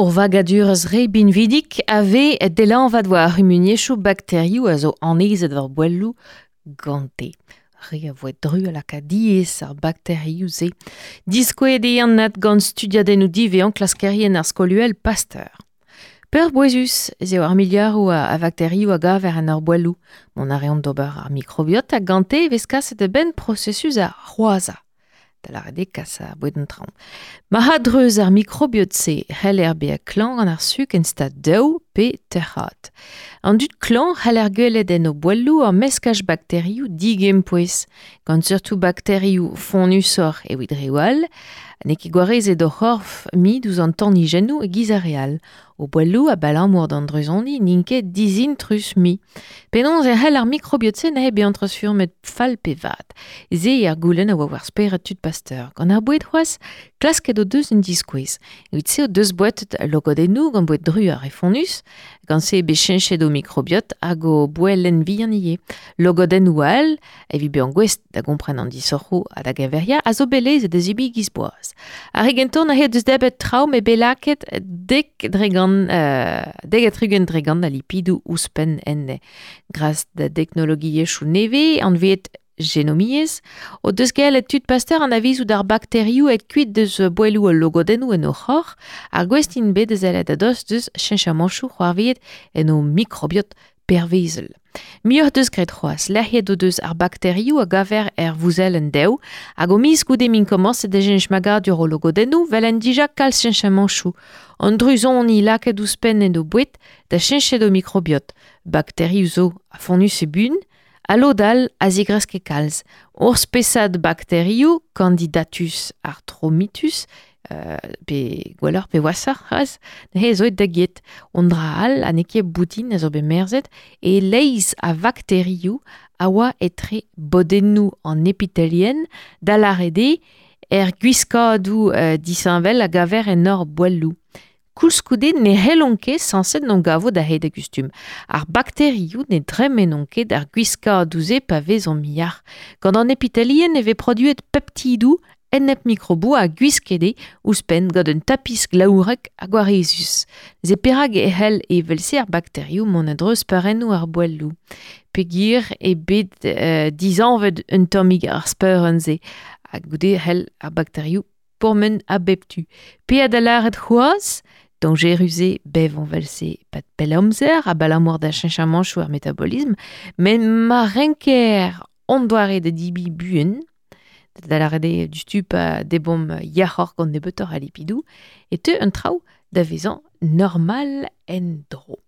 Ur vagadurezh re binvidik a vez delañvat war ar c'humuniezhioù bakterioù a zo annezet war boelloù gante. Re a voe dru a laka diaes ar bakterioù-se. Diskouezet eo anat gant studiadennoù divezhañ klaskerien ar skol-uhel Pasteur. Peurbouezus ez eo ar miliaroù a vakterioù a gaver en hor boelloù. Mont a reont d'ober ar mikrobiota gante e vez kaset da benn prosesus ar c'hoazhañ. Da lâret eo kas ar boued en traoñ. Ma a-dreuz ar mikrobiot-se e c'heller bezañ klañv gant ar suk en stad daou pe tec'had. An dud klañv c'heller gwelet en o boelloù ur meskaj bakterioù digempouez, gant seurtoù bakterioù fonnusoc'h evit reoù all, n'eo ket gwarezet o c'horf mui ouzh an tanijennoù e-giz ar re all. O boelloù abalamour d'an druzoni n'int ket dizintrus mui. Penaos e c'hell ar mikrobiot-se neuze bezañ treuzfurmet fall pe vat? Se eo ar goulenn a oa war spered tud Pasteur. Gant ar boued c'hoazh, klasket o deus un diskouez. Evit se o deus bouetet logodennoù gant boued dru ha re fonnus. Gant se eo bet cheñchet o mikrobiot hag o boellenn vihan ivez. Logodennoù all, evit bezañ gouest da gompren an disoc'hoù ha da geñveriañ, a zo bet lezet da zebriñ giz boaz. Ar re gentañ neuze deus debret traoù met bet lakaet 70% a lipidoù ouzhpenn enne. Gras da deknologiezhioù nevez anvet genomiezh o deus gellet tud Pasteur anavezout ar bakterioù aet kuit deus boelloù al logodennoù en o c'horf ha gouest int bet da sellet a-dost deus cheñchamantoù c'hoarvezet en o mikrobiot pervezel. Muioc'h deus graet c'hoazh, lec'hiet o deus ar bakterioù a gaver er vouzellenn dev hag o miz goude m'int komañset da cheñch magadur o logodennoù 'welent dija kalz cheñchamantoù. An druzoni lakaet ouzhpenn en o boued da cheñchet o mikrobiot. Bakterioù zo a fonnus e bun, ha lod all a zigreske kalz. Ur spesad bakterioù, Candidatus arthromitus, pe gwelloc'h pe washoc'h c'hoazh, neuze zo aet da get. Un dra all ha n'eo ket boutin a zo bet merzet, e-leizh a vakterioù a oa etre bodennoù an epitelien, da lâret eo er gwiskadoù disheñvel a gaver en hor boelloù. Koulskoude ne c'hellont ket sañset n'on gavo da hed a gustum. Ar bakterioù ne dremenont ket ar gwiskadoù-se pa vezont yac'h. Gant an epitelien e vez produet peptidoù enep-mikroboù ha gwisket eo ouzhpenn gant un tapis glaourek ha gwarezus. Se perak e c'hell evel-se ar bakterioù mont a-dreuz speurennoù ar boelloù. Peogwir eo bet dizanvet un tammig ar speurenn-se ha goude e c'hell ar bakterioù pourmen a bep tu. Pe da lâret c'hoazh, dañjerus eo bevañ 'vel-se 'pad pell amzer abalamour da cheñchamantoù ar metabolism, met ma renker hon doare da debriñ buan, da lâret eo diouzhtu pa debomp yac'hoc'h gant nebeutoc'h a lipidoù, e teu an traoù da vezañ normal en-dro.